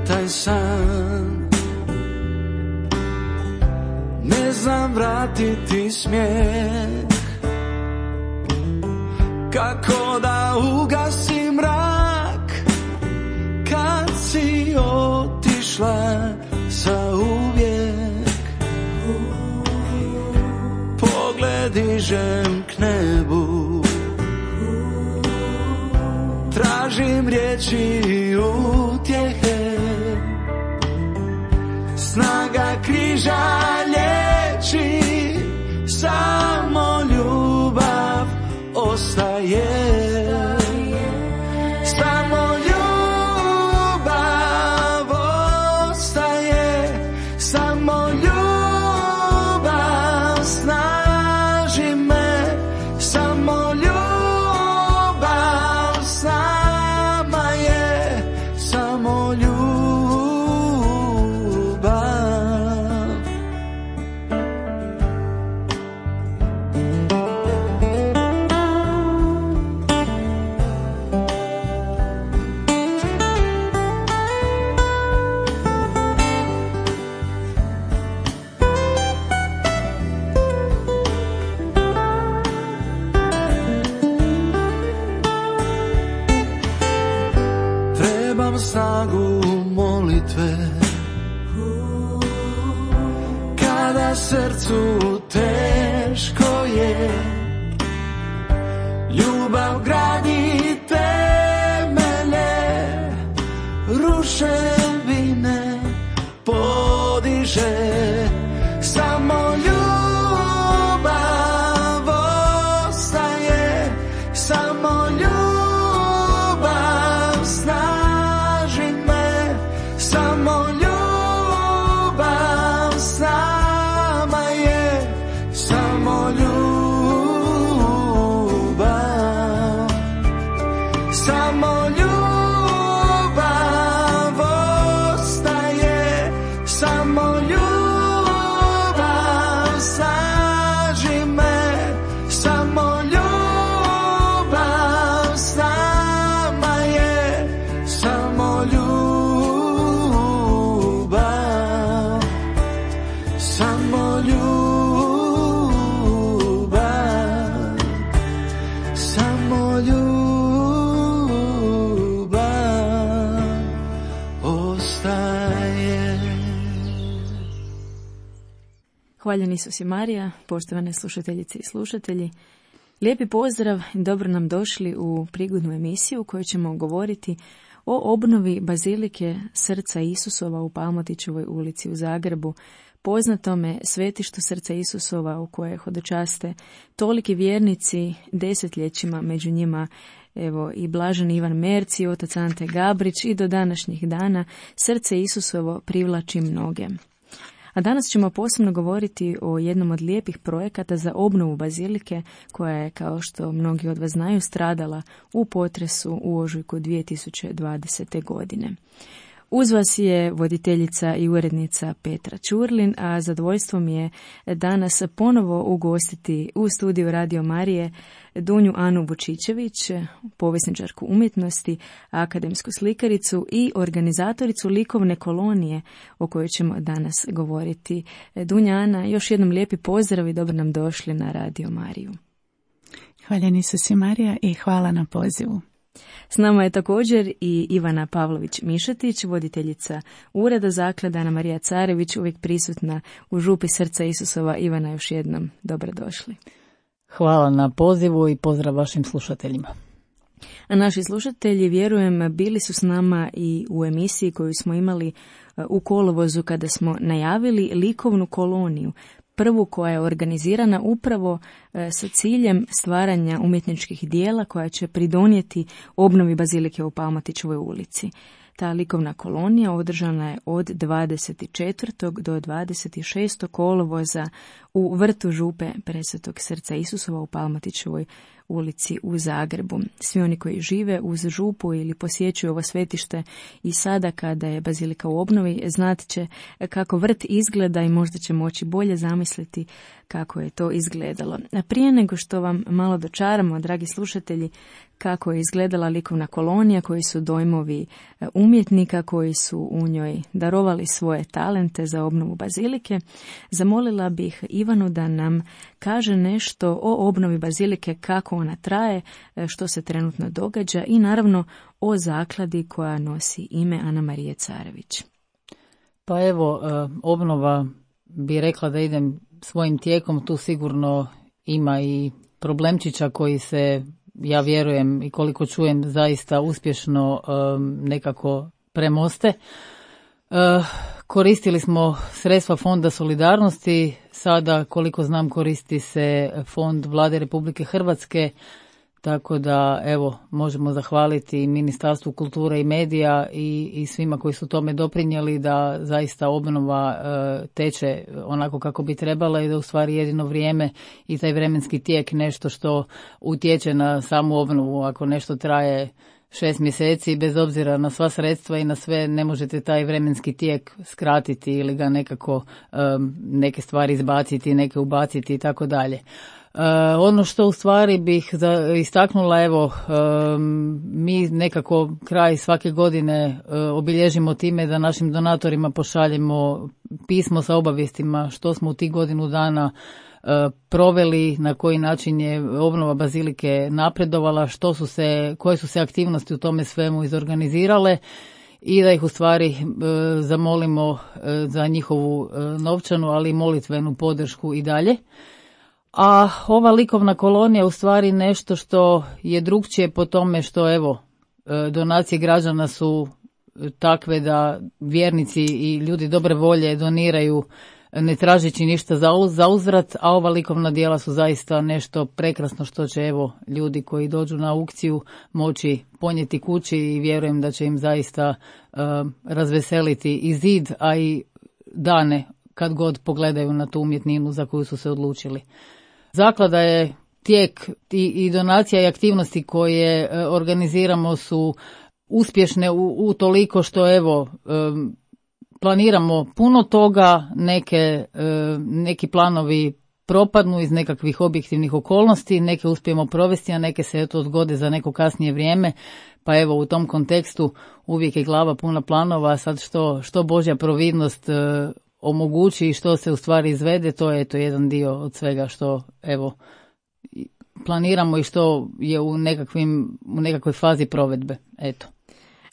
taj san. Ne znam vratiti smijeh, kako da ugasim mrak, kad si otišla zauvijek. Pogled dižem k nebu, tražim riječi i utjehe. Snaga križa liječi, samo ljubav ostaje. Samo ljubav ostaje, samo ljubav snaži me, samo ljubav s nama je, samo ljubav. Trebam snagu molitve, kada srcu teško je. Ljubav gradi temelje, ruševine podiže. Samo ljubav ostaje, samo ljubav snaži me, samo ljubav s nama je, samo ljubav, samo ljubav ostaje, samo ljubav snaži me, samo ljubav s nama je, samo ljubav, samo ljubav, samo ljubav ostaje. Hvaljen Isus i Marija, poštovane slušateljice i slušatelji. Lijepi pozdrav i dobro nam došli u prigodnu emisiju u kojoj ćemo govoriti o obnovi Bazilike Srca Isusova u Palmotićevoj ulici u Zagrebu, poznatome svetištu Srca Isusova u koje hodočaste toliki vjernici desetljećima, među njima evo i blažen Ivan Merci, otac Ante Gabrić i do današnjih dana Srce Isusovo privlači mnoge. A danas ćemo posebno govoriti o jednom od lijepih projekata za obnovu Bazilike koja je, kao što mnogi od vas znaju, stradala u potresu u ožujku 2020. godine. Uz vas je voditeljica i urednica Petra Ćurlin, a zadovoljstvo mi je danas ponovo ugostiti u studiju Radio Marije Dunju Anu Vučićević, povjesničarku umjetnosti, akademsku slikaricu i organizatoricu likovne kolonije o kojoj ćemo danas govoriti. Dunja Ana, još jednom lijepi pozdrav i dobro nam došli na Radio Mariju. Hvaljen Isus i Marija i hvala na pozivu. S nama je također i Ivana Pavlović-Mišetić, voditeljica Ureda zaklade Ana Marija Carević, uvijek prisutna u župi Srca Isusova. Ivana, još jednom dobrodošli. Hvala na pozivu i pozdrav vašim slušateljima. A naši slušatelji, vjerujem, bili su s nama i u emisiji koju smo imali u kolovozu kada smo najavili likovnu koloniju, prvu koja je organizirana upravo sa ciljem stvaranja umjetničkih dijela koja će pridonijeti obnovi Bazilike u Palmotićevoj ulici. Ta likovna kolonija održana je od 24. do 26. kolovoza u vrtu župe Presvetog Srca Isusova u Palmotićevoj ulici u Zagrebu. Svi oni koji žive uz župu ili posjećuju ovo svetište i sada kada je bazilika u obnovi znat će kako vrt izgleda i možda će moći bolje zamisliti kako je to izgledalo. A prije nego što vam malo dočaramo, dragi slušatelji, kako je izgledala likovna kolonija, koji su dojmovi umjetnika koji su u njoj darovali svoje talente za obnovu bazilike, zamolila bih Ivanu da nam kaže nešto o obnovi bazilike, kako ona traje, što se trenutno događa i naravno o zakladi koja nosi ime Ana Marije Carević. Pa evo, obnova bi rekla da idem svojim tijekom, tu sigurno ima i problemčića koji se, ja vjerujem i koliko čujem, zaista uspješno nekako premoste. Koristili smo sredstva Fonda solidarnosti, sada koliko znam koristi se Fond Vlade Republike Hrvatske, tako da evo možemo zahvaliti Ministarstvu kulture i medija i svima koji su tome doprinijeli da zaista obnova teče onako kako bi trebala i da u stvari jedino vrijeme i taj vremenski tijek nešto što utječe na samu obnovu. Ako nešto traje 6 mjeseci, bez obzira na sva sredstva i na sve, ne možete taj vremenski tijek skratiti ili ga nekako neke stvari izbaciti, neke ubaciti i tako dalje. Ono što u stvari bih istaknula, evo, mi nekako kraj svake godine obilježimo time da našim donatorima pošaljemo pismo sa obavijestima što smo u tih godinu dana proveli, na koji način je obnova bazilike napredovala, koje su se aktivnosti u tome svemu izorganizirale i da ih u stvari zamolimo za njihovu novčanu, ali i molitvenu podršku i dalje. A ova likovna kolonija u stvari nešto što je drugčije po tome što evo donacije građana su takve da vjernici i ljudi dobre volje doniraju ne tražeći ništa za uzvrat, a ova likovna djela su zaista nešto prekrasno što će evo ljudi koji dođu na aukciju moći ponijeti kući i vjerujem da će im zaista razveseliti i zid, a i dane kad god pogledaju na tu umjetninu za koju su se odlučili. Zaklada je tijek i donacija i aktivnosti koje organiziramo su uspješne u toliko što evo planiramo puno toga, neki planovi propadnu iz nekakvih objektivnih okolnosti, neke uspijemo provesti, a neke se eto odgode za neko kasnije vrijeme, pa evo u tom kontekstu uvijek je glava puna planova, a sad što Božja providnost omogući i što se u stvari izvede, to je to jedan dio od svega što evo planiramo i što je u nekakvoj fazi provedbe. Eto.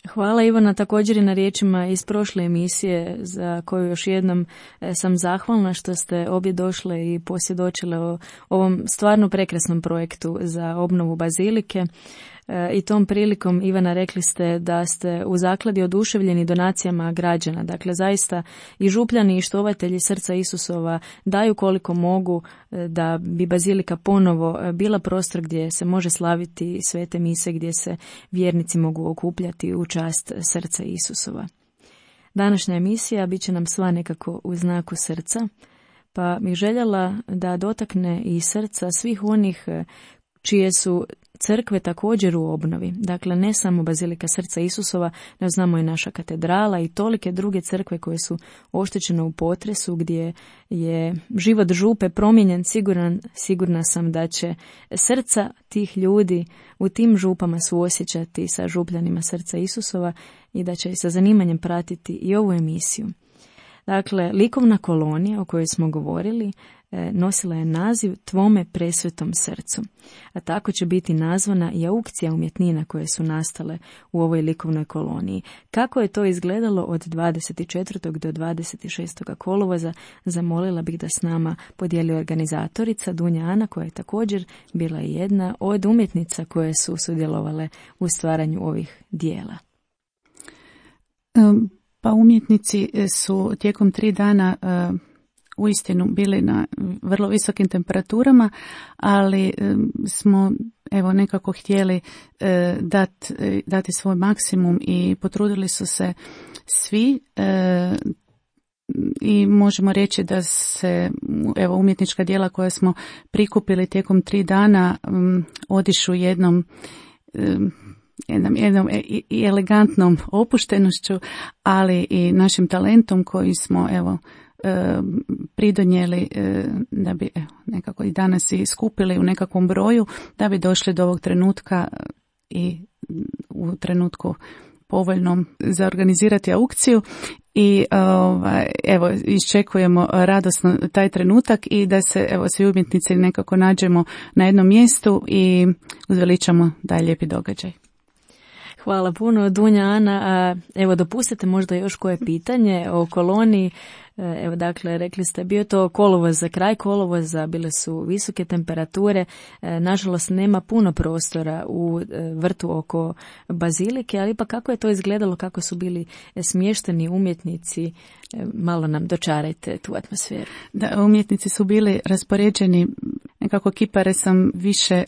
Hvala Ivana također i na riječima iz prošle emisije za koju još jednom sam zahvalna što ste obje došle i posvjedočile o ovom stvarno prekrasnom projektu za obnovu bazilike. I tom prilikom, Ivana, rekli ste da ste u zakladi oduševljeni donacijama građana. Dakle, zaista i župljani i štovatelji Srca Isusova daju koliko mogu da bi bazilika ponovo bila prostor gdje se može slaviti svete mise, gdje se vjernici mogu okupljati u čast Srca Isusova. Današnja emisija bit će nam sva nekako u znaku srca, pa bih željela da dotakne i srca svih onih čije su crkve također u obnovi. Dakle, ne samo Bazilika Srca Isusova, no znamo i naša katedrala i tolike druge crkve koje su oštećene u potresu, gdje je život župe promijenjen. Sigurna sam da će srca tih ljudi u tim župama suosjećati sa župljanima Srca Isusova i da će sa zanimanjem pratiti i ovu emisiju. Dakle, likovna kolonija o kojoj smo govorili nosila je naziv Tvome presvetom srcu, a tako će biti nazvana i aukcija umjetnina koje su nastale u ovoj likovnoj koloniji. Kako je to izgledalo od 24. do 26. kolovoza, zamolila bih da s nama podijeli organizatorica Dunja Ana, koja je također bila jedna od umjetnica koje su sudjelovale u stvaranju ovih dijela. Pa umjetnici su tijekom 3 dana uistinu bili na vrlo visokim temperaturama, ali smo evo nekako htjeli dati svoj maksimum i potrudili su se svi i možemo reći da se evo umjetnička djela koja smo prikupili tijekom 3 dana odišu jednom i elegantnom opuštenošću, ali i našim talentom koji smo evo pridonijeli da bi nekako i danas i skupili u nekakvom broju da bi došli do ovog trenutka i u trenutku povoljnom za organizirati aukciju i evo iščekujemo radosno taj trenutak i da se evo svi umjetnici nekako nađemo na jednom mjestu i uzveličamo taj lijepi događaj. Hvala puno, Dunja, Ana. Evo, dopustite možda još koje pitanje o koloniji. Evo, dakle, rekli ste, bio to kolovoz, kraj kolovoza, bile su visoke temperature. Nažalost, nema puno prostora u vrtu oko bazilike, ali ipak kako je to izgledalo, kako su bili smješteni umjetnici, malo nam dočarajte tu atmosferu. Da, umjetnici su bili raspoređeni, nekako kipare sam više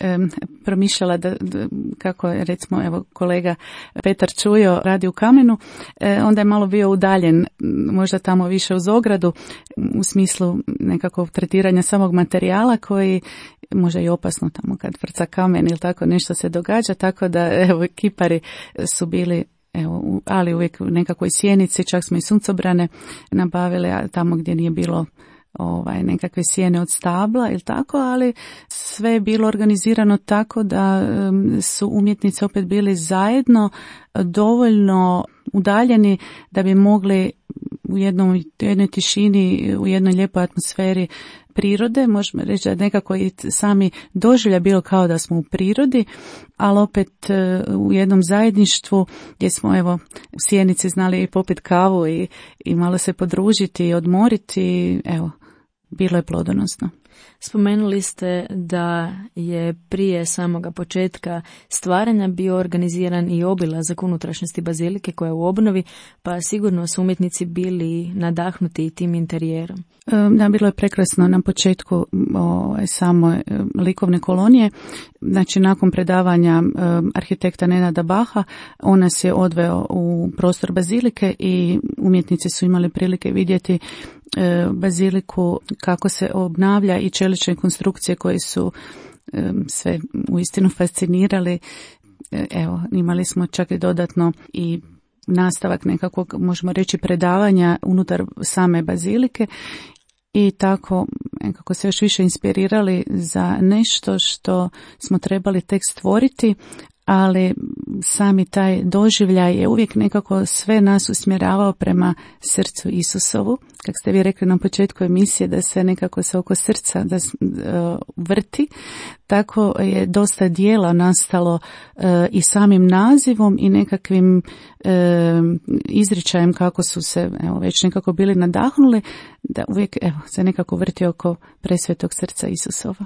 promišljala da kako je recimo evo kolega Petar Čujo radi u Kamenu, onda je malo bio udaljen, možda tamo više uz ogradu u smislu nekakvog tretiranja samog materijala koji možda i opasno tamo kad vrca kamen ili tako nešto se događa, tako da evo kipari su bili evo, ali uvijek u nekakvoj sjenici, čak smo i suncobrane nabavili, a tamo gdje nije bilo nekakve sjene od stabla ili tako, ali sve je bilo organizirano tako da su umjetnici opet bili zajedno dovoljno udaljeni da bi mogli u jednoj tišini, u jednoj lijepoj atmosferi prirode, možemo reći da nekako i sami doživlja bilo kao da smo u prirodi, ali opet u jednom zajedništvu gdje smo evo u sjenici znali i popiti kavu i malo se podružiti i odmoriti, evo, bilo je plodonosno. Spomenuli ste da je prije samoga početka stvaranja bio organiziran i obilazak unutrašnjosti bazilike koja je u obnovi, pa sigurno su umjetnici bili nadahnuti tim interijerom. Da, bilo je prekrasno na početku samo likovne kolonije. Znači, nakon predavanja arhitekta Nenada Baha, on nas je odveo u prostor bazilike i umjetnici su imali prilike vidjeti baziliku kako se obnavlja i čelične konstrukcije koje su sve uistinu fascinirali. Evo, imali smo čak i dodatno i nastavak nekakvog, možemo reći, predavanja unutar same bazilike i tako nekako se još više inspirirali za nešto što smo trebali tek stvoriti, ali sami taj doživljaj je uvijek nekako sve nas usmjeravao prema srcu Isusovu. Kako ste vi rekli na početku emisije da se nekako se oko srca vrti, tako je dosta dijela nastalo i samim nazivom i nekakvim izričajem kako su se već nekako bili nadahnuli, da uvijek se nekako vrti oko presvetog srca Isusova.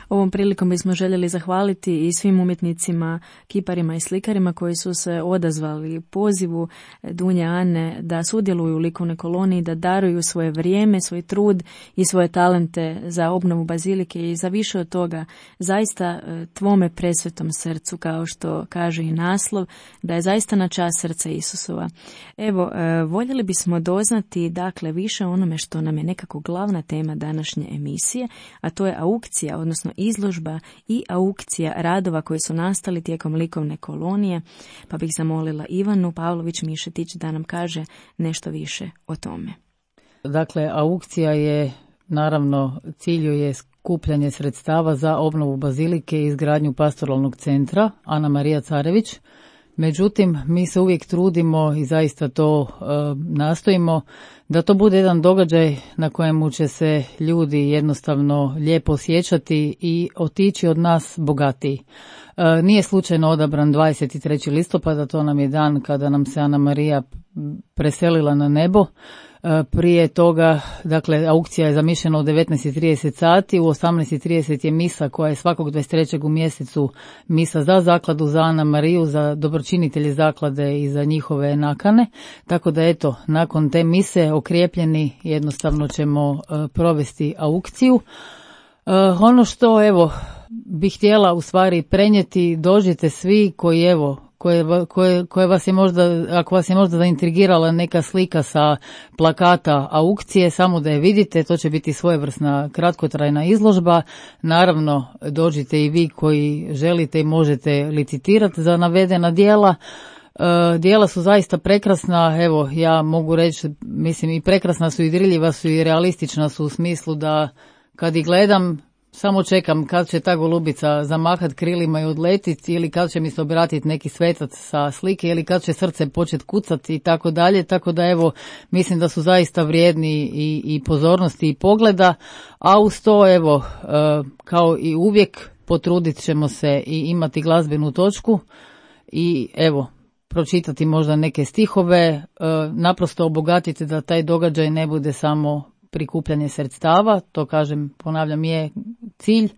Ovom prilikom bismo željeli zahvaliti i svim umjetnicima, kiparima i slikarima koji su se odazvali pozivu Dunje Ane da sudjeluju u likovnoj koloniji, da daruju svoje vrijeme, svoj trud i svoje talente za obnovu bazilike i za više od toga zaista tvome presvetom srcu, kao što kaže i naslov, da je zaista na čast srca Isusova. Evo, voljeli bismo doznati dakle više o onome što nam je nekako glavna tema današnje emisije, a to je aukcija, odnosno izložba i aukcija radova koji su nastali tijekom likovne kolonije, pa bih zamolila Ivanu Pavlović-Mišetić da nam kaže nešto više o tome. Dakle, aukcija je, naravno, cilju je skupljanje sredstava za obnovu bazilike i izgradnju pastoralnog centra Ana Marija Carević. Međutim, mi se uvijek trudimo i zaista to nastojimo da to bude jedan događaj na kojemu će se ljudi jednostavno lijepo osjećati i otići od nas bogatiji. Nije slučajno odabran 23. listopada, to nam je dan kada nam se Ana Marija preselila na nebo. Prije toga, dakle, aukcija je zamišljena u 19:30 sati, u 18:30 je misa koja je svakog 23. u mjesecu misa za zakladu, za Ana Mariju, za dobročinitelje zaklade i za njihove nakane. Tako da eto, nakon te mise okrijepljeni jednostavno ćemo provesti aukciju. Ono što evo bih htjela u stvari prenijeti, dođite svi koji evo koje vas je možda, ako vas je možda zaintrigirala neka slika sa plakata aukcije, samo da je vidite, to će biti svojevrsna kratkotrajna izložba. Naravno, dođite i vi koji želite i možete licitirati za navedena djela. Djela su zaista prekrasna, evo ja mogu reći, mislim i prekrasna su i dirljiva su i realistična su u smislu da kad ih gledam samo čekam kad će ta golubica zamahat krilima i odletiti ili kad će mi se obratiti neki svetac sa slike ili kad će srce početi kucati i tako dalje, tako da evo mislim da su zaista vrijedni i pozornosti i pogleda, a uz to evo kao i uvijek potrudit ćemo se i imati glazbenu točku i evo pročitati možda neke stihove, naprosto obogatiti da taj događaj ne bude samo prikupljanje sredstava, to kažem, ponavljam, je cilj,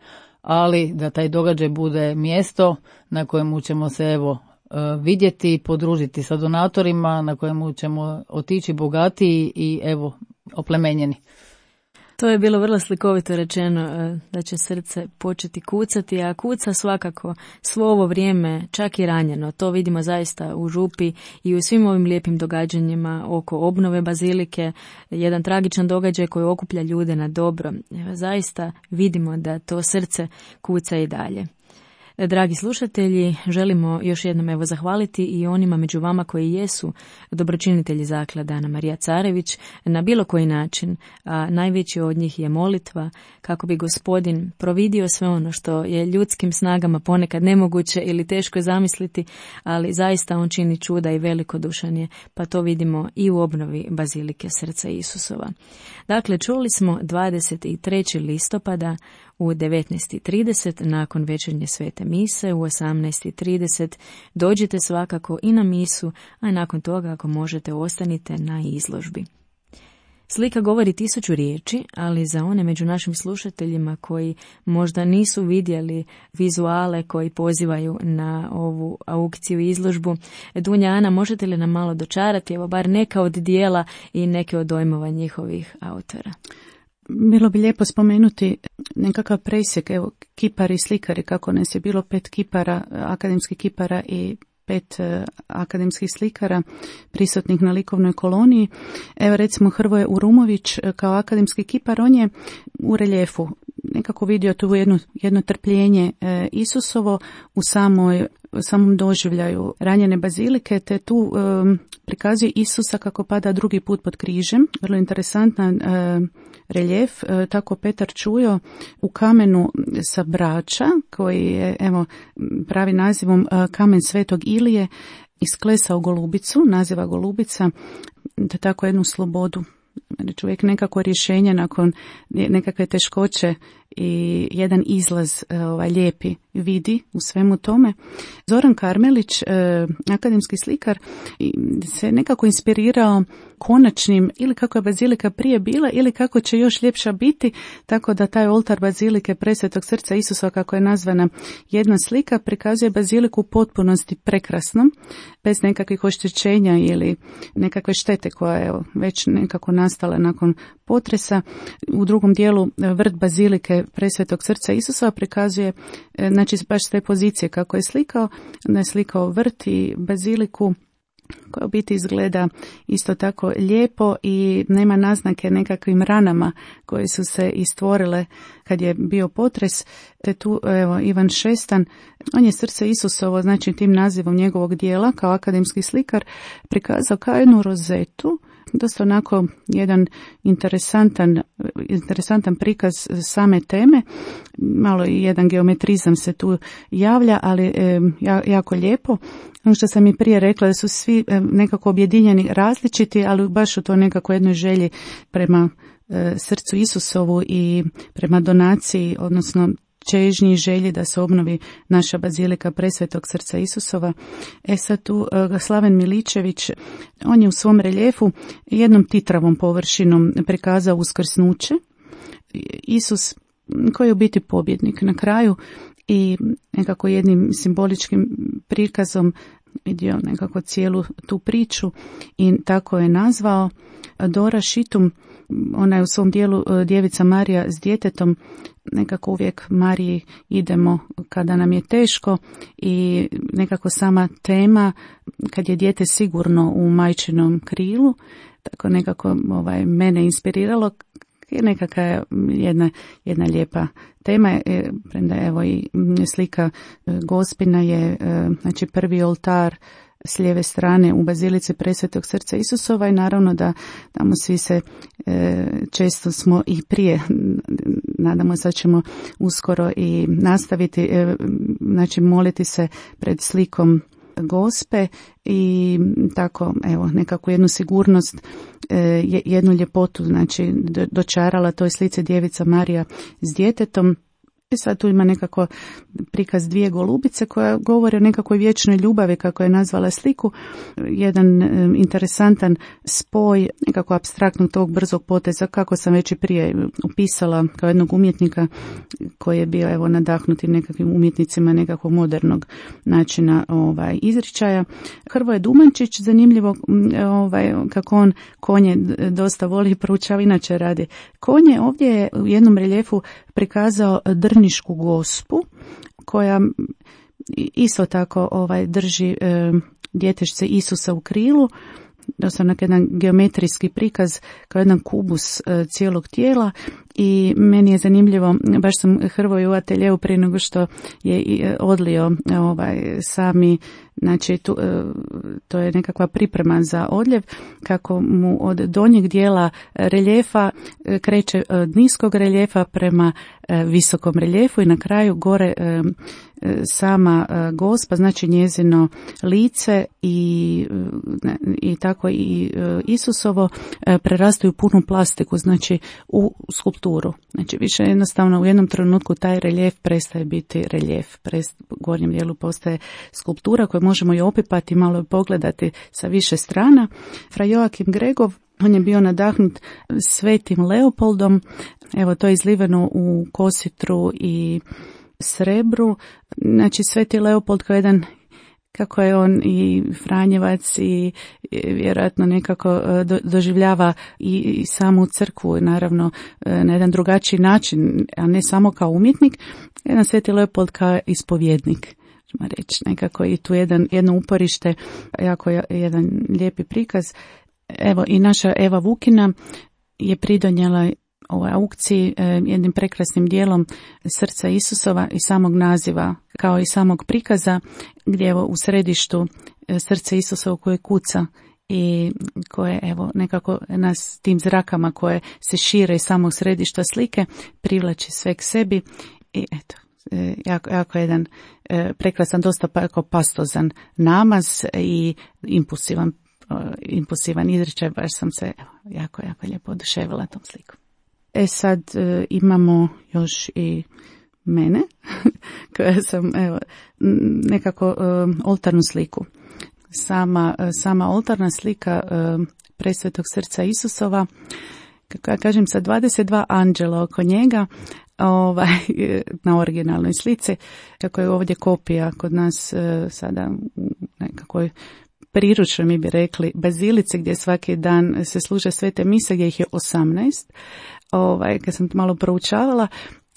ali da taj događaj bude mjesto na kojemu ćemo se evo vidjeti, podružiti sa donatorima, na kojemu ćemo otići bogatiji i evo oplemenjeni. To je bilo vrlo slikovito rečeno da će srce početi kucati, a kuca svakako svo ovo vrijeme, čak i ranjeno. To vidimo zaista u Župi i u svim ovim lijepim događanjima oko obnove bazilike, jedan tragičan događaj koji okuplja ljude na dobro. Zaista vidimo da to srce kuca i dalje. Dragi slušatelji, želimo još jednom zahvaliti i onima među vama koji jesu dobročinitelji zaklade Ana Marija Carević na bilo koji način, a najveći od njih je molitva kako bi Gospodin providio sve ono što je ljudskim snagama ponekad nemoguće ili teško zamisliti, ali zaista on čini čuda i velikodušan je, pa to vidimo i u obnovi Bazilike Srca Isusova. Dakle, čuli smo 23. listopada u 19:30 nakon večernje svete mise, u 18:30 dođite svakako i na misu, a nakon toga ako možete ostanite na izložbi. Slika govori 1000 riječi, ali za one među našim slušateljima koji možda nisu vidjeli vizuale koji pozivaju na ovu aukciju i izložbu, Dunja Ana, možete li nam malo dočarati, evo bar neka od dijela i neke od dojmova njihovih autora? Bilo bi lijepo spomenuti nekakav presjek, evo, kipari i slikari, kako nas je bilo 5 kipara, akademskih kipara i 5 akademskih slikara prisutnih na likovnoj koloniji. Evo recimo Hrvoje Urumović kao akademski kipar, on je u reljefu nekako vidio tu jedno trpljenje Isusovo u samom doživljaju ranjene bazilike, te tu prikazuje Isusa kako pada drugi put pod križem. Vrlo interesantan reljef. Tako Petar Čujo u kamenu sa Brača, koji je evo pravi nazivom kamen Svetog Ilije, isklesao golubicu, naziva golubica, da tako jednu slobodu. Čovjek nekako rješenje nakon nekakve teškoće i jedan izlaz lijepi vidi u svemu tome. Zoran Karmelić, akademski slikar, se nekako inspirirao konačnim, ili kako je bazilika prije bila ili kako će još ljepša biti, tako da taj oltar bazilike Presvetog Srca Isusa, kako je nazvana jedna slika, prikazuje baziliku u potpunosti prekrasnom, bez nekakvih oštećenja ili nekakve štete koja je već nekako nastala nakon potresa. U drugom dijelu vrt bazilike Presvetog Srca Isusa prikazuje, znači baš s te pozicije kako je slikao, da je slikao vrt i baziliku koja u biti izgleda isto tako lijepo i nema naznake nekakvim ranama koje su se istvorile kad je bio potres. Te tu evo Ivan Šestan, on je Srce Isusovo, znači tim nazivom njegovog dijela kao akademski slikar, prikazao kao jednu rozetu, dosta onako jedan interesantan prikaz same teme, malo i jedan geometrizam se tu javlja, ali jako lijepo. Ono što sam i prije rekla, da su svi nekako objedinjeni različiti, ali baš u to nekako jednoj želji prema Srcu Isusovu i prema donaciji, odnosno čežnji i želji da se obnovi naša bazilika Presvetog Srca Isusova. Sad tu Slaven Miličević, on je u svom reljefu jednom titravom površinom prikazao uskrsnuće. Isus koji je u biti pobjednik na kraju i nekako jednim simboličkim prikazom vidio nekako cijelu tu priču i tako je nazvao. Dora Šitum, ona je u svom dijelu Djevica Marija s djetetom, nekako uvijek Mariji idemo kada nam je teško i nekako sama tema kad je dijete sigurno u majčinom krilu, tako nekako mene inspiriralo. Nekakva jedna lijepa tema, premda evo i slika Gospina je znači prvi oltar s lijeve strane u bazilici Presvetog srca Isusova i naravno da tamo svi se često smo i prije, nadamo se da ćemo uskoro i nastaviti, znači moliti se pred slikom Gospe i tako evo nekako jednu sigurnost, jednu ljepotu znači dočarala toj slici Djevica Marija s djetetom. I sad tu ima nekako prikaz dvije golubice koja govore o nekakvoj vječnoj ljubavi, kako je nazvala sliku. Jedan interesantan spoj nekako apstraktnog tog brzog poteza, kako sam već i prije upisala kao jednog umjetnika koji je bio evo nadahnuti nekakvim umjetnicima nekakvog modernog načina izričaja. Hrvoje Dumančić, zanimljivo kako on konje dosta voli i proučava, inače radi konje. Ovdje je u jednom reljefu prikazao Drnišku Gospu koja isto tako drži djetešce Isusa u krilu, doslovno jedan geometrijski prikaz kao jedan kubus cijelog tijela. I meni je zanimljivo, baš sam Hrvoju u ateljeu prije nego što je odlio sami, znači to je nekakva priprema za odljev, kako mu od donjeg dijela reljefa kreće od niskog reljefa prema visokom reljefu i na kraju gore sama Gospa, znači njezino lice i tako i Isusovo prerastaju punu plastiku, znači u skulpturu. Znači više jednostavno u jednom trenutku taj reljef prestaje biti reljef, u gornjem dijelu postaje skulptura koju možemo i opipati, malo pogledati sa više strana. Fra Joakim Gregov, on je bio nadahnut svetim Leopoldom, evo to je izliveno u kositru i srebru. Znači sveti Leopold kao jedan, kako je on i Franjevac i vjerojatno nekako doživljava i samu crkvu, naravno na jedan drugačiji način, a ne samo kao umjetnik, jedan sveti Leopold kao ispovjednik, ćemo reći, nekako i tu jedno uporište, jako jedan lijepi prikaz. Evo i naša Eva Vukina je pridonijela ovoj aukciji jednim prekrasnim dijelom srca Isusova i samog naziva kao i samog prikaza, gdje evo u središtu srce Isusovo koje kuca i koje evo nekako nas tim zrakama koje se šire iz samog središta slike privlači sve k sebi i eto jako jedan prekrasan, dosta pastozan namaz i impulsivan izričaj, baš sam se jako lijepo oduševila tom slikom. Sad imamo još i mene, koja sam nekako oltarnu sliku. Sama oltarna slika Presvetog srca Isusova, kako ja kažem, sa 22 anđela oko njega, na originalnoj slici, kako je ovdje kopija kod nas sada u nekakvoj priručnoj, mi bi rekli, bazilici gdje svaki dan se služe svete mise, gdje ih je 18. Kad sam malo proučavala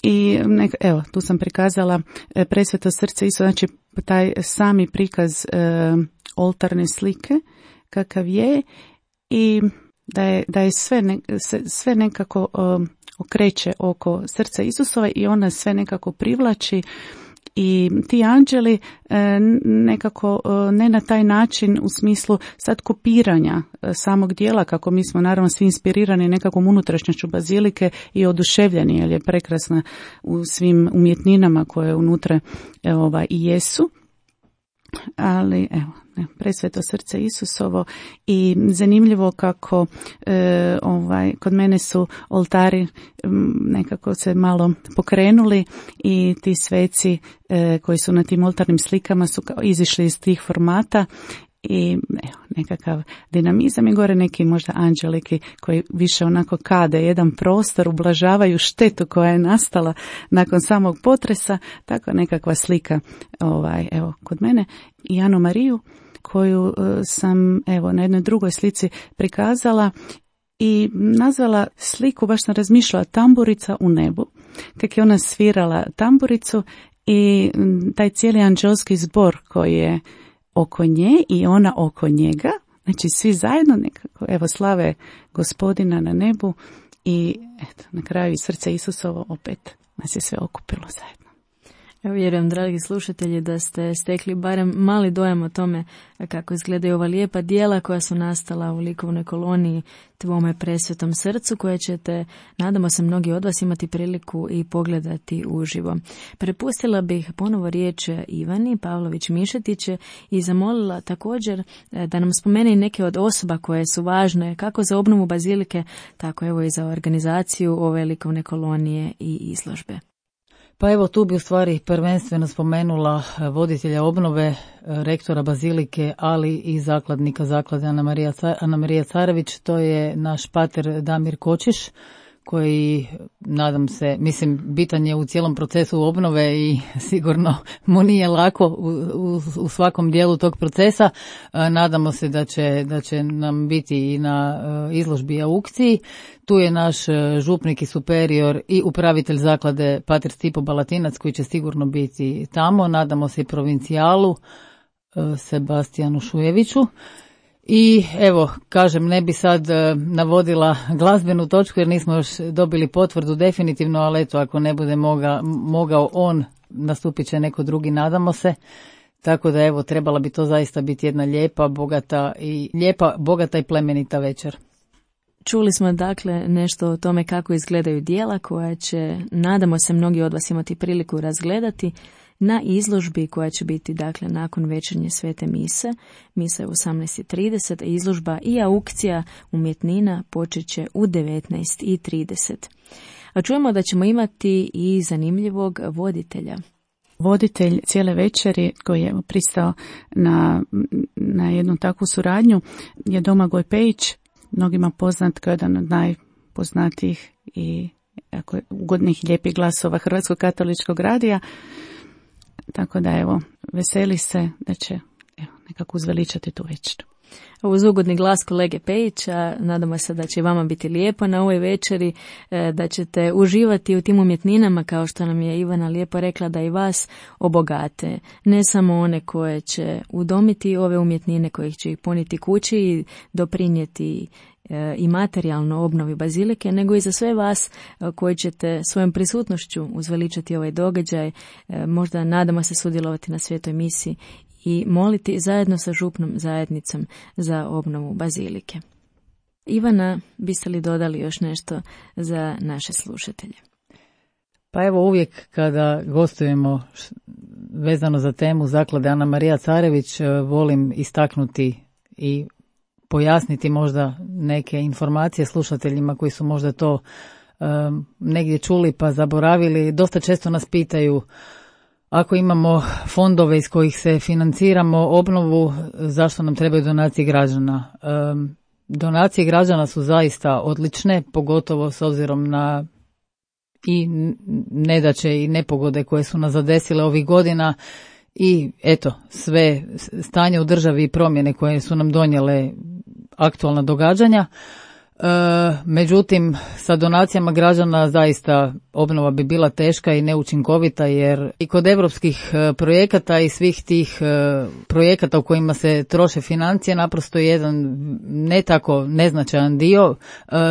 i evo, tu sam prikazala Presveto srce Isusa, znači taj sami prikaz oltarne slike kakav je i da je sve nekako okreće oko srca Isusova i ona sve nekako privlači. I ti anđeli nekako ne na taj način u smislu sad kopiranja samog dijela, kako mi smo naravno svi inspirirani nekakvom unutrašnjošću bazilike i oduševljeni, jer je prekrasna u svim umjetninama koje unutra i jesu. Ali evo, Presveto srce Isusovo i zanimljivo kako kod mene su oltari nekako se malo pokrenuli i ti sveci koji su na tim oltarnim slikama su kao izišli iz tih formata i nekakav dinamizam i gore neki možda anđeliki koji više onako kade jedan prostor, ublažavaju štetu koja je nastala nakon samog potresa, tako nekakva slika evo kod mene i Anu Mariju koju sam evo na jednoj drugoj slici prikazala i nazvala sliku, baš sam razmišljala, tamburica u nebu. kako je ona svirala tamburicu i taj cijeli anđelski zbor koji je oko nje i ona oko njega, znači svi zajedno nekako, evo, slave Gospodina na nebu i eto, na kraju i srce Isusovo opet nas je sve okupilo zajedno. Ja vjerujem, dragi slušatelji, da ste stekli barem mali dojam o tome kako izgledaju ova lijepa djela koja su nastala u likovnoj koloniji Tvome presvetom srcu, koje ćete, nadamo se, mnogi od vas imati priliku i pogledati uživo. Prepustila bih ponovo riječ Ivani Pavlović-Mišetić i zamolila također da nam spomene neke od osoba koje su važne kako za obnovu bazilike, tako evo i za organizaciju ove likovne kolonije i izložbe. Pa evo, tu bi u stvari prvenstveno spomenula voditelja obnove, rektora bazilike, ali i zakladnika zaklade Ana Marija Carević. To je naš pater Damir Kočiš, koji, nadam se, mislim, bitan je u cijelom procesu obnove i sigurno mu nije lako u svakom dijelu tog procesa. Nadamo se da će nam biti i na izložbi i aukciji. Tu je naš župnik i superior i upravitelj zaklade pater Stipo Balatinac, koji će sigurno biti tamo. Nadamo se i provincijalu Sebastijanu Šujeviću. I evo, kažem, ne bi sad navodila glazbenu točku jer nismo još dobili potvrdu definitivno, ali eto, ako ne bude mogao on, nastupit će neko drugi, nadamo se. Tako da evo, trebala bi to zaista biti jedna lijepa, bogata i plemenita večer. Dakle smo nešto o tome kako izgledaju djela koja će, nadamo se, mnogi od vas imati priliku razgledati na izložbi koja će biti nakon večernje svete mise. Misa je u 18:30, izložba i aukcija umjetnina počet će u 19:30. A čujemo da ćemo imati i zanimljivog voditelja. Voditelj cijele večeri koji je pristao na jednu takvu suradnju je Domagoj Pejić, mnogima poznat kao jedan od najpoznatijih i ugodnih lijepih glasova Hrvatskog katoličkog radija. Tako da evo, veseli se da će nekako uzveličati tu večeru. Uz ugodni glas kolege Pejića, nadamo se da će i vama biti lijepo na ovoj večeri, da ćete uživati u tim umjetninama, kao što nam je Ivana lijepo rekla, da i vas obogate. Ne samo one koje će udomiti ove umjetnine, koje će ih poniti kući i doprinijeti i materijalno obnovi bazilike, nego i za sve vas koji ćete svojom prisutnošću uzveličati ovaj događaj, možda nadamo se sudjelovati na svetoj misi i moliti zajedno sa župnom zajednicom za obnovu bazilike. Ivana, biste li dodali još nešto za naše slušatelje? Pa evo, uvijek kada gostujemo vezano za temu zaklade Ana Marija Carević, volim istaknuti i pojasniti možda neke informacije slušateljima koji su možda to negdje čuli pa zaboravili. Dosta često nas pitaju, ako imamo fondove iz kojih se financiramo obnovu, zašto nam trebaju donacije građana? Donacije građana su zaista odlične, pogotovo s obzirom na i nedaće i nepogode koje su nas zadesile ovih godina i eto, sve stanje u državi i promjene koje su nam donijele aktualna događanja. Međutim, sa donacijama građana zaista obnova bi bila teška i neučinkovita, jer i kod europskih projekata i svih tih projekata u kojima se troše financije, naprosto jedan ne tako neznačajan dio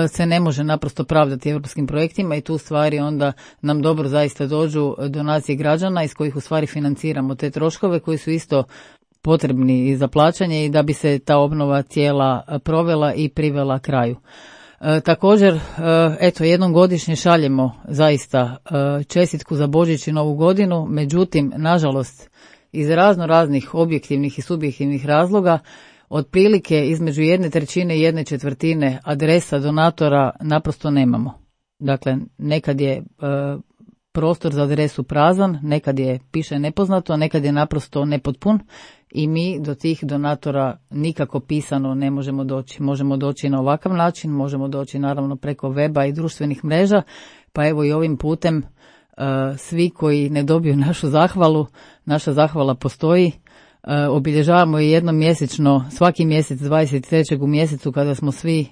se ne može naprosto pravdati europskim projektima i tu stvari onda nam dobro zaista dođu donacije građana iz kojih u stvari financiramo te troškove koji su isto potrebni i za plaćanje i da bi se ta obnova cijela provela i privela kraju. Također, eto, jednom godišnje šaljemo zaista čestitku za Božić i Novu godinu, međutim, nažalost, iz raznih objektivnih i subjektivnih razloga, otprilike između 1/3 i 1/4 adresa donatora naprosto nemamo. Dakle, nekad je prostor za adresu prazan, nekad je piše nepoznato, nekad je naprosto nepotpun i mi do tih donatora nikako pisano ne možemo doći. Možemo doći na ovakav način, možemo doći naravno preko weba i društvenih mreža, pa evo i ovim putem svi koji ne dobiju našu zahvalu, naša zahvala postoji. Obilježavamo je jednom mjesečno, svaki mjesec 23. u mjesecu kada smo svi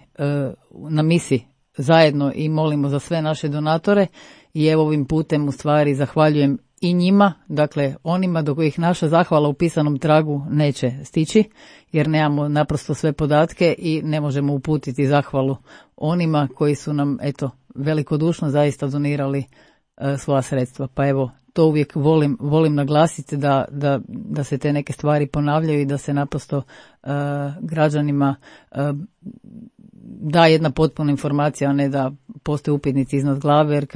na misi zajedno i molimo za sve naše donatore i evo ovim putem u stvari zahvaljujem i njima, dakle onima do kojih naša zahvala u pisanom tragu neće stići, jer nemamo naprosto sve podatke i ne možemo uputiti zahvalu onima koji su nam velikodušno zaista donirali svoja sredstva. Pa evo, to uvijek volim naglasiti da se te neke stvari ponavljaju i da se naprosto građanima da jedna potpuna informacija, a ne da postoje upitnici iznad glave, jer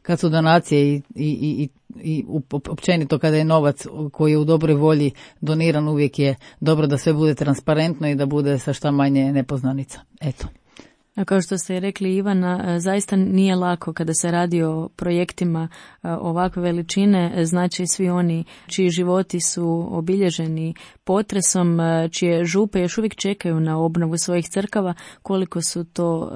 kad su donacije i općenito kada je novac koji je u dobroj volji doniran, uvijek je dobro da sve bude transparentno i da bude sa šta manje nepoznanica. Eto. A kao što ste rekli, Ivana, zaista nije lako kada se radi o projektima ovakve veličine, znači svi oni čiji životi su obilježeni potresom, čije župe još uvijek čekaju na obnovu svojih crkava, koliko su to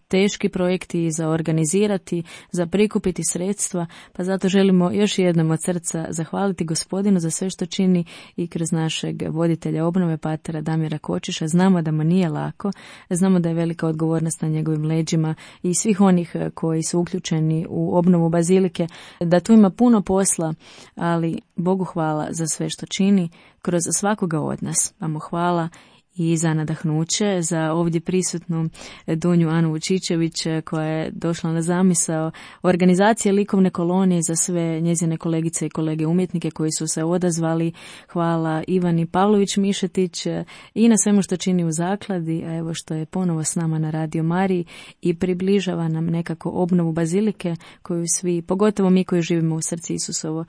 teški projekti za organizirati, za prikupiti sredstva, pa zato želimo još jednom od srca zahvaliti Gospodinu za sve što čini i kroz našeg voditelja obnove, patera Damira Kočiša. Znamo da mu nije lako, znamo da je velika odgovornost na njegovim leđima i svih onih koji su uključeni u obnovu bazilike, da tu ima puno posla, ali Bogu hvala za sve što čini kroz svakoga od nas. Pa mu hvala i za nadahnuće, za ovdje prisutnu Dunju Anu Vučičević koja je došla na zamisao organizacije likovne kolonije za sve njezine kolegice i kolege umjetnike koji su se odazvali. Hvala Ivani Pavlović-Mišetić i na svemu što čini u zakladi, a evo što je ponovo s nama na Radio Mariji i približava nam nekako obnovu bazilike koju svi, pogotovo mi koji živimo u srcu Isusovo,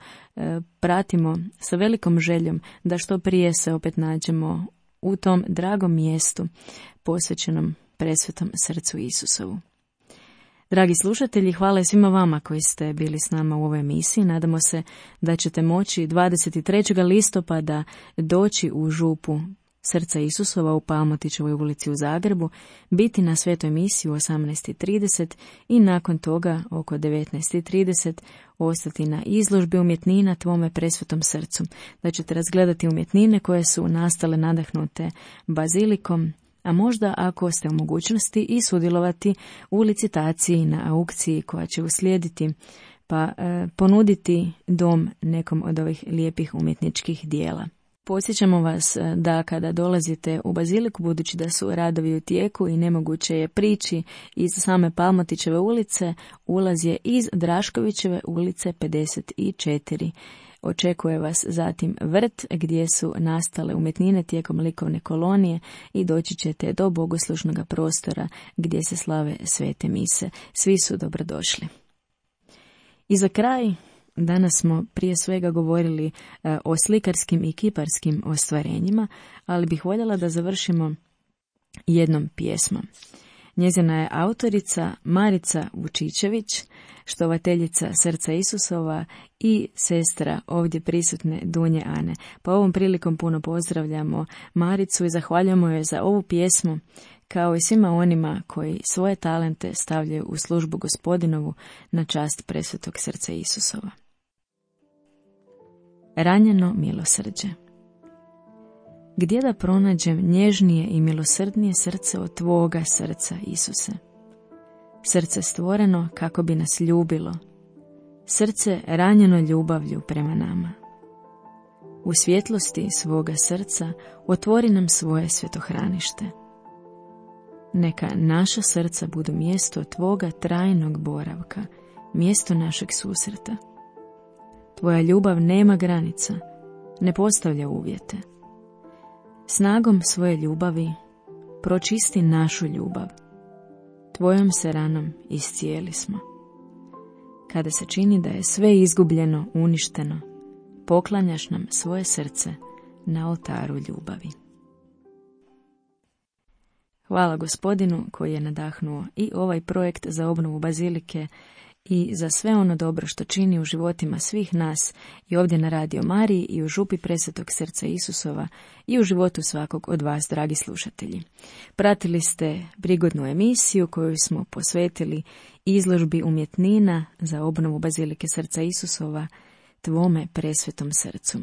pratimo sa velikom željom da što prije se opet nađemo u tom dragom mjestu posvećenom presvetom srcu Isusovu. Dragi slušatelji, hvala svima vama koji ste bili s nama u ovoj emisiji. Nadamo se da ćete moći 23. listopada doći u župu srca Isusova u Palmotićevoj ulici u Zagrebu, biti na svetoj misiji u 18:30 i nakon toga oko 19:30 ostati na izložbi umjetnina Tvome presvetom srcu, da ćete razgledati umjetnine koje su nastale nadahnute bazilikom, a možda ako ste u mogućnosti i sudjelovati u licitaciji na aukciji koja će uslijediti, pa ponuditi dom nekom od ovih lijepih umjetničkih dijela. Podsjećamo vas da kada dolazite u baziliku, budući da su radovi u tijeku i nemoguće je prići iz same Palmotićeve ulice, ulaz je iz Draškovićeve ulice 54. Očekuje vas zatim vrt gdje su nastale umjetnine tijekom likovne kolonije i doći ćete do bogoslužnog prostora gdje se slave svete mise. Svi su dobrodošli. I za kraj, danas smo prije svega govorili o slikarskim i kiparskim ostvarenjima, ali bih voljela da završimo jednom pjesmom. Njezina je autorica Marica Vučičević, štovateljica Srca Isusova i sestra ovdje prisutne Dunje Ane. Pa ovom prilikom puno pozdravljamo Maricu i zahvaljujemo joj za ovu pjesmu, kao i svima onima koji svoje talente stavljaju u službu Gospodinovu na čast presvetog Srca Isusova. Ranjeno milosrđe. Gdje da pronađem nježnije i milosrdnije srce od Tvoga srca, Isuse? Srce stvoreno kako bi nas ljubilo, srce ranjeno ljubavlju prema nama. U svjetlosti svoga srca otvori nam svoje svetohranište. Neka naša srca budu mjesto Tvoga trajnog boravka, mjesto našeg susreta. Tvoja ljubav nema granica, ne postavlja uvjete. Snagom svoje ljubavi pročisti našu ljubav. Tvojom se ranom iscijeli smo. Kada se čini da je sve izgubljeno, uništeno, poklanjaš nam svoje srce na oltaru ljubavi. Hvala Gospodinu koji je nadahnuo i ovaj projekt za obnovu bazilike i za sve ono dobro što čini u životima svih nas i ovdje na Radio Mariji i u župi presvetog srca Isusova i u životu svakog od vas, dragi slušatelji. Pratili ste prigodnu emisiju koju smo posvetili izložbi umjetnina za obnovu bazilike srca Isusova, Tvome presvetom srcu.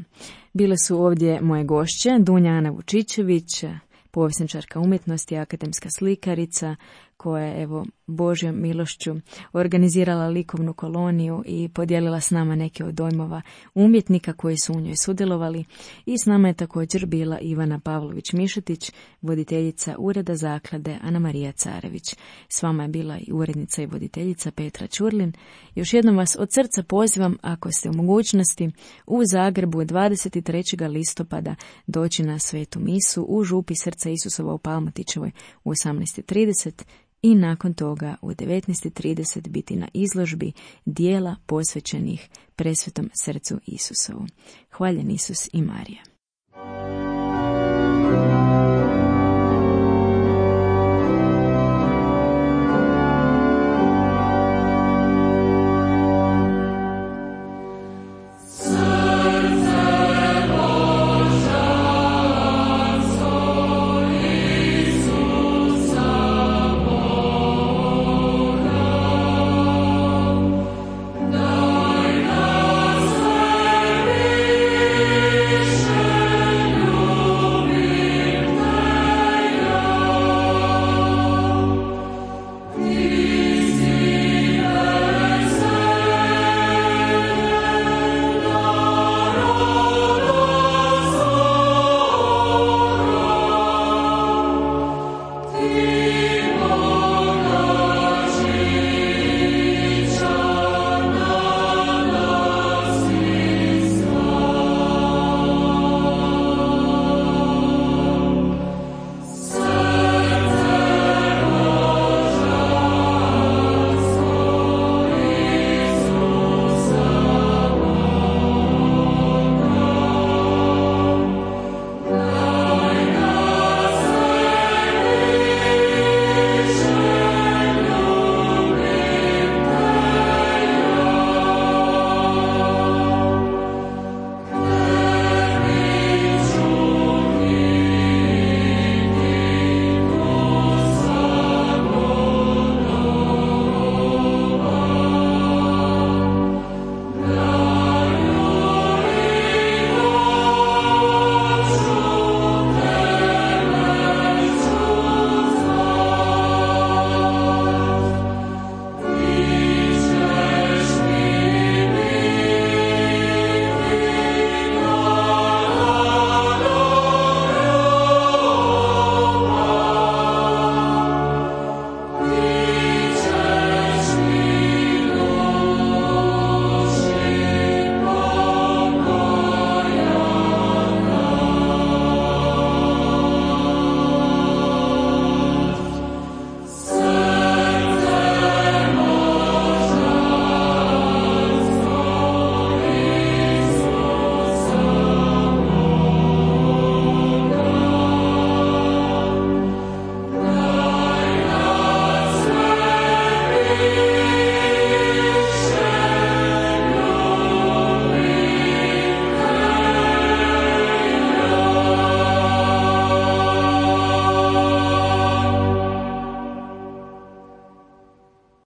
Bile su ovdje moje gošće, Dunja Ana Vučičević, povjesničarka umjetnosti, akademska slikarica, koja je evo Božjom milošću organizirala likovnu koloniju i podijelila s nama neke od dojmova umjetnika koji su u njoj sudjelovali. I s nama je također bila Ivana Pavlović-Mišetić, voditeljica Ureda zaklade Ana Marija Carević. S vama je bila i urednica i voditeljica Petra Ćurlin. Još jednom vas od srca pozivam, ako ste u mogućnosti, u Zagrebu 23. listopada doći na svetu misu u župi Srca Isusova u Palmotićevoj u 18:30 i nakon toga u 19:30 biti na izložbi dijela posvećenih Presvetom srcu Isusovu. Hvaljen Isus i Marija.